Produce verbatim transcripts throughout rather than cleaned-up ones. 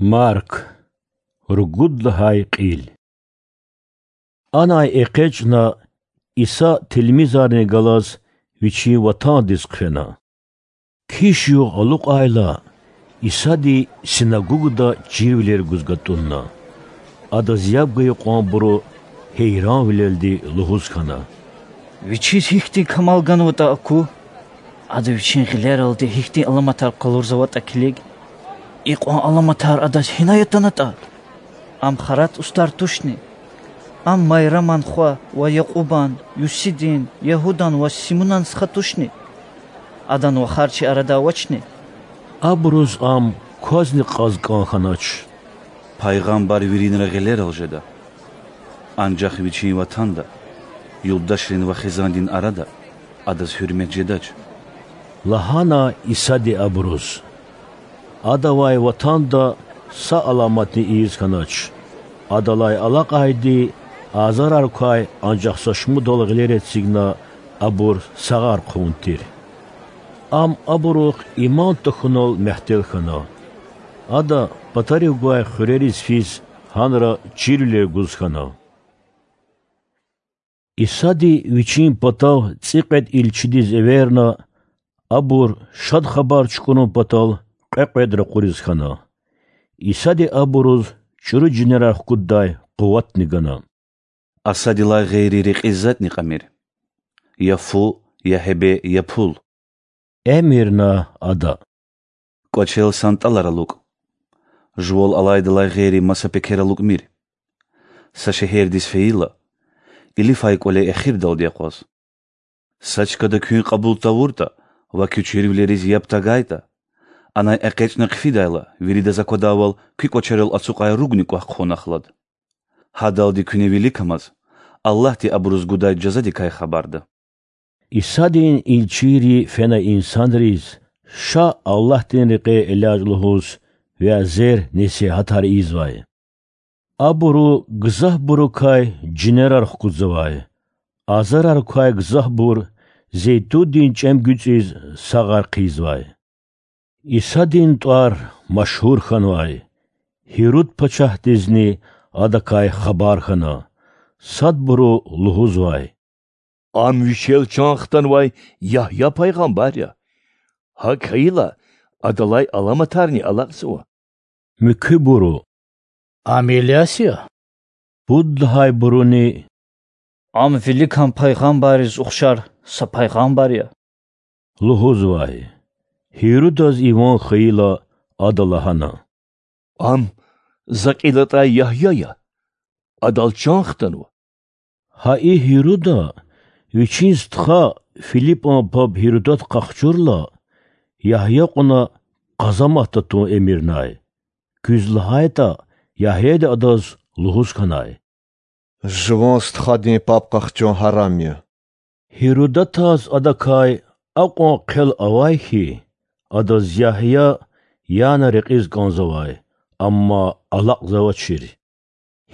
Марк, ругуд лагьай кьил. Анай экъечӀна, Иса тилмизарни галаз Вичин ватандиз хъфена. Киш югъ алукьайла, Исади синагогда чирвилер гуз гатӀунна. Адаз яб гайи кьванбуру гьейранвилелди лугьуз хьана: Вичиз гьихьтин камал ганватӀа аку? Ада Вичин гъилералди гьихьтин аламатар къалурзаватӀа килиг. Икьван аламатар Адаз гьинай атанатӀа? Ам Харат устӀар тушни? Ам Майраман хва ва Якьубан, Юсидин, Ягьудан ва Симунан стха тушни? Адан вахар чи арада авачни? Абуруз Ам квазни кьаз кӀан хьанач. Пайгъамбар виринра гъилерал жеда, анжах вичин ватанда, юлдашрин ва хизандин арада адаз гьуьрмет жедач,– лагьана Исади абуруз. Адавай ватанда са аламатни ийиз хьанач. Адалай алакьайди азарар квай анжах са шумудал гъилер эцигна, абур сагъар хъувун тир. Ам абурухъ иман тахьунал мягьтел хьана. Ада патарив гвай хуьрериз физ гьанра чирвилер гуз хьана. Исади Вичин патав цӀикьвед илчидиз эверна, абур Шад Хабар чукӀурун патал кьве-кьвед ракъуриз хьана. Исади абуруз чӀуру жинерар хкуддай къуватни гана. Асадилай гъейри рекьиз затӀни кьамир: я фу, я гьебе, я пул,– эмирна Ада. КӀвачел сантӀалар алукӀ. Жувал алайдалай гъейри маса пекер алукӀмир. Са шегьердиз фейила, илифай кӀвале эхирдалди акъваз. Са чкада куьн кьабул тавуртӀа ва куь чирвилериз яб тагайтӀа, анай экъечӀна хъфидайла, виридаз аквадайвал куь кӀвачерал ацукьай ругни кӀвах хъувунахъ лад. Гьадалди куьне виликамаз, Аллагьди абуруз гудай жазадикай хабарда. Исадин илчийри фена инсанриз Ша Аллагьдин рекье элячӀ лугьуз вязер-несигьатар ийизвай. Абуру гзафбурукай жинерар хкудзавай, азарар квай гзафбур зейтундин чӀем гуьцӀиз сагъар хъийизвай. Исадин тӀвар машгьур хьанвай, Гьируд пачагьдизни адакай хабар хьана. Садбуру лугьузвай: Ам вичел чан хтанвай Ягья пайгъамбар я. ГьакӀ хьайила, адалай аламатарни алакьзава. Муькуьбуру: Ам Иляс я. Пуд лагьайбуруни: Ам виликан пайгъамбарриз ухшар са пайгъамбар я,– лугьузвай. Гьирудаз и ван хьайила, ада лагьана: Ам за кьил атӀай Ягья я. Адал чан хтанва. Гьа и Гьируда вичин стха, Филипан паб Гьирудат къахчурла, Ягья кьуна къазаматда тун эмирнай. Куьз лагьайтӀа, Ягьяди адаз лугьуз хьанай: Жуван стхадин паб къахчун гьарам я. Гьирудатаз адакай акьван хъел авай хьи, адаз Ягья яна рекьиз кӀанзавай, амма алакьзавачир.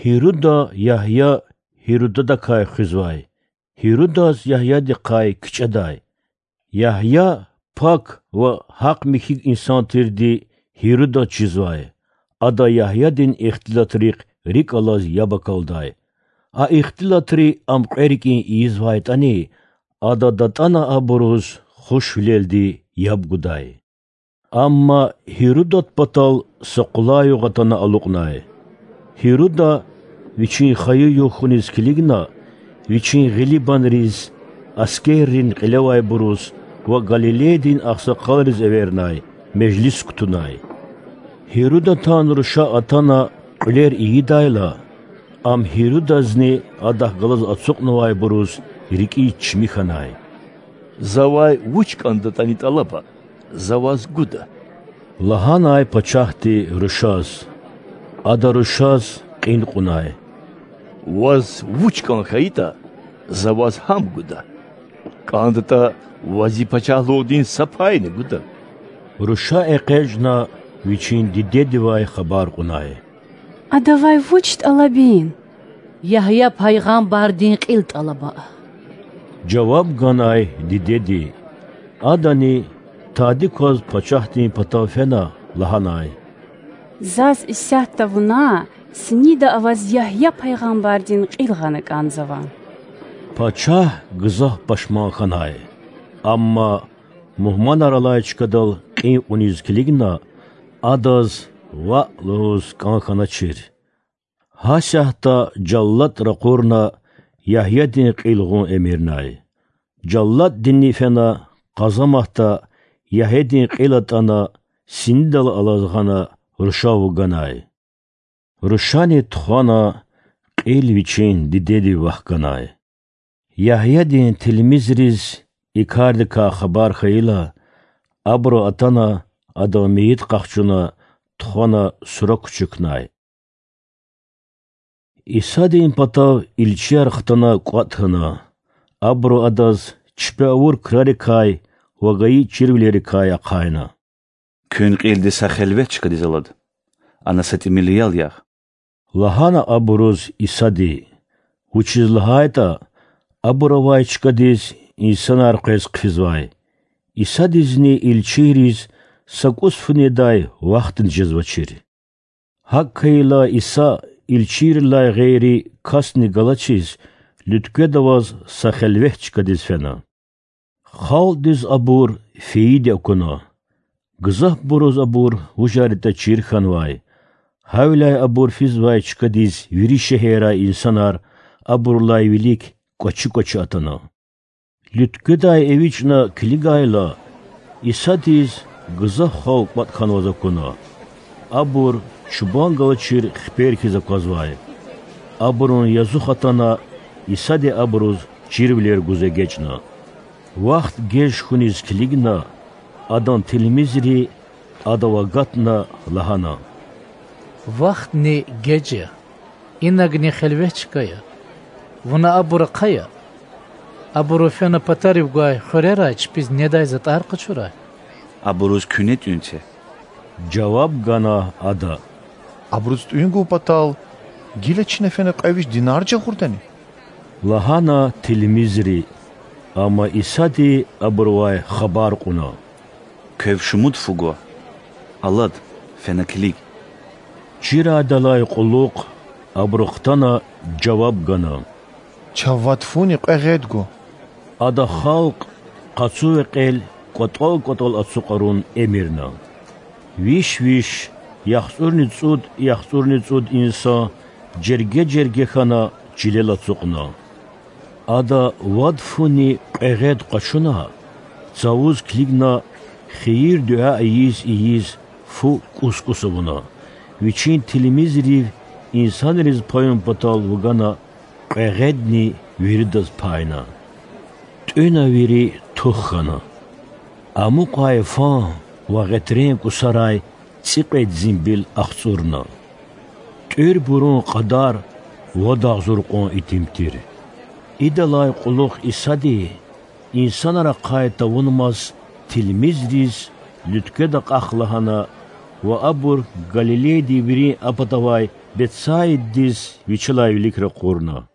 Гьируда Ягья Гьирудадакай хуьзвай, Гьирудаз Ягьядихъай кичӀедай. Ягья пак ва гьахъ-михьи инсан тирди Гьирудаз чизвай. Ада Ягьядин ихтилатрихъ рикӀ алаз яб акалдай. А ихтилатри ам кьве рикӀин ийизвайтӀани, ада датӀана абуруз хушвилелди яб гудай. Амма Гьирудат патал са къулай югъ атана алукьнай. Гьируда, вичин хайи югъ хьуниз килигна, вичин гъилибанриз, аскеррин кьилевайбуруз ва Галилейдин агъсакъалриз эвернай, межлис кутунай. Гьирудатан руша атана кьуьлер ийидайла, ам Гьирудазни адахъ галаз ацукьнавайбуруз рикӀиз чими хьанай. Завай вуч кӀандатӀани тӀалаба, за ваз гуда,– лагьанай пачагьди рушаз. Ада рушаз кьин кьунай: Ваз вуч кӀан хьайитӀа, за ваз гьам гуда. КӀандатӀа, ваз и пачагьлугъдин са пайни гуда. Руша экъечӀна, вичин дидедивай хабар кьунай: Адавай вуч тӀалабин? Ягья пайгъамбардин кьил тӀалаба,– жаваб ганай дидеди. Адани, тади кваз пачагьдин патав фена, лагьанай: Заз исятда вуна синида аваз Ягья пайгъамбардин кьил гъана кӀанзава. Пачагь гзаф пашман хьанай. Амма мугьманар алай чкадал кьин кьуниз килигна, адаз ваъ лугьуз кӀан хьаначир. Гьасятда жаллад ракъурна, Ягьядин кьил гъун эмирнай. Жалладдини фена, къазаматда Ягьядин кьил атӀана, синидал алаз гъана, рушав вуганай. Рушани тухвана, кьил вичин дидедив вахканай. Ягьядин тилмизриз и кардикай хабар хьайила, абуру атана, адан мейит къахчуна, тухвана сура кучукнай. Исадин патав илчияр хтана кӀватӀ хьана. Абуру адаз чпи авур крарикай ва гайи чирвилерикай ахъайна: Куьн кьилди са хелвет чкадиз алад, ана са тӀимил ял ягъ,— лагьана абуруз Исади, вучиз лагьайтӀа абур авай чкадиз инсанар къвез хъфизвай. Исадизни илчийриз са кӀус фу недай вахтни жезвачир. ГьакӀ хьайила, Иса илчийрилай гъейри касни галачиз, луьткведа аваз са хелвет чкадиз фена. Халкьдиз абур фейиди акуна. Гзафбуруз абур вужар ятӀа чир хьанвай. Гьавиляй абур физвай чкадиз вири шегьеррай инсанар абурулай вилик кӀвачи-кӀвачи атана. Луьткведай эвичӀна килигайла, Исадиз гзаф халкь кӀватӀ хьанваз акуна. Абур чубан галачир хипер хьиз аквазвай. Абурун язух атана, Исади абуруз чирвилер гуз эгечӀна. Вахт геж хьуниз килигна, Адан тилмизри Адав агатна, лагьана: Вахтни геж я, инагни хелвет чка я. Вуна абур ахъая. Абуру фена патарив гвай хуьрерай чпиз недай затӀар къачурай. Абуруз куьне тӀуьн це,— жаваб гана Ада. Абуруз тӀуьн гун патал гила чна фена кьве виш динар жагъурдани? лагьана тилмизри. Амма Исади абурувай хабар кьуна: Квев шумуд фу гва? Алад, фена килиг. Чирайдалай кьулухъ абуру хтана жаваб гана: Чав вад фуни кьве гъед гва. Ада халкь къацу векьел кӀватӀал-кӀватӀал ацукьарун эмирна. Виш-виш, яхцӀурни цӀуд-яхцӀурни цӀуд инсан жерге-жерге хьана чилел ацукьна. Ада вад фуни кьве гъед къачуна, цавуз килигна, хийир-дуьа ийиз-ийиз, фу кӀус-кӀус авуна, вичин тилмизрив инсанриз пайун патал вугана, кьве гъедни виридаз пайна. ТӀуьна вири, тух хьана. Амукьай фан ва гъетрен кӀусарай цӀикьвед зимбил ахцӀурна. ТӀуьрбурун кьадар вад агъзур кьван итим тир. Идалай кьулухъ Исади, инсанар ахъай тавунмаз, тилмизриз луьткведа акьах лагьана ва абур Галилейдин вирин а патавай Бетсаидадиз Вичелай вилик ракъурна.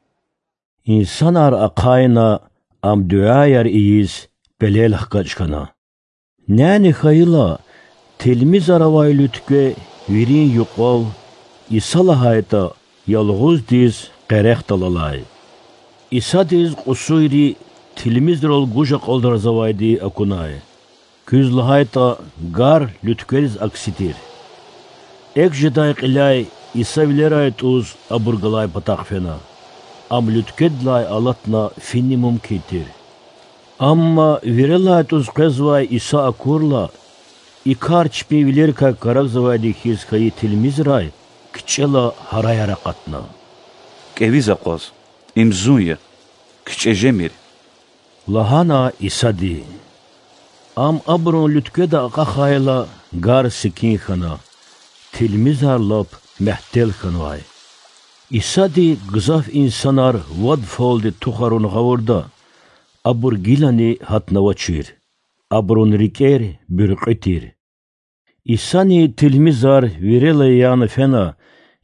Инсанар ахъайна, Ам дуьаяр ийиз пелел хкаж хьана. Няни хьайила, тилмизар авай луьткве вирин юкьвал, Иса лагьайтӀа, ялгъуздиз къерехдал алай. Исадиз кьусуйри тилмизрал гуж акьалтӀарзавайди акунай. Куьз лагьайтӀа, гар луьткведиз акси тир. Экв жедай кьиляй Иса вилерай тӀуз абур галай патахъ фена. Ам луьткведилай алатна финни мумкин тир. Амма вирелай тӀуз къвезвай Иса акурла, и кар чпин вилерикай карагзавайди хьиз хьайи тилмизрай кичӀела гьараяр акъатна. КӀевиз акъваз, им Зун я, кичӀе жемир,— лагьана Исади. Ам абурун луьткведа акьахайла, гар секин хьана, тилмизар лап мягьтел хьанвай. Исади гзаф инсанар вад фалди тухарун гъавурда, абур гилани гьатнавачир, абурун рикӀер буьркьуь тир. Исани тилмизар вирелай яна фена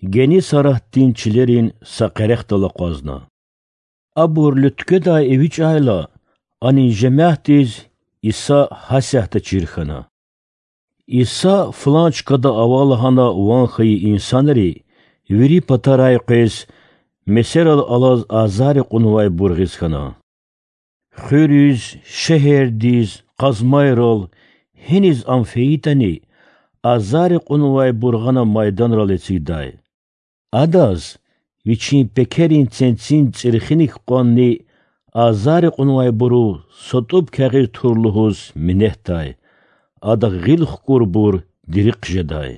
Геннисаратдин чилерин са къерехдал акъвазна. Абур луьткведай эвичӀайла, анин жемятдиз Иса гьасятда чир хьана. Иса флан чкада ава лагьана ван хьайи инсанри вири патарай къвез месерал алаз азаррикъунвайбур гъиз хьана. Хуьруьз, шегьердиз, къазмайрал, гьиниз Ам фейитӀани, азаррикъунвайбур гъана майданрал эцигдай. Адаз Вичин пекерин ценцин цӀирхиник кьванни азаррикъунвайбуру са тӀуб кягъиз тур лугьуз минетдай. Адахъ гъил хкӀурбур дири хъжедай.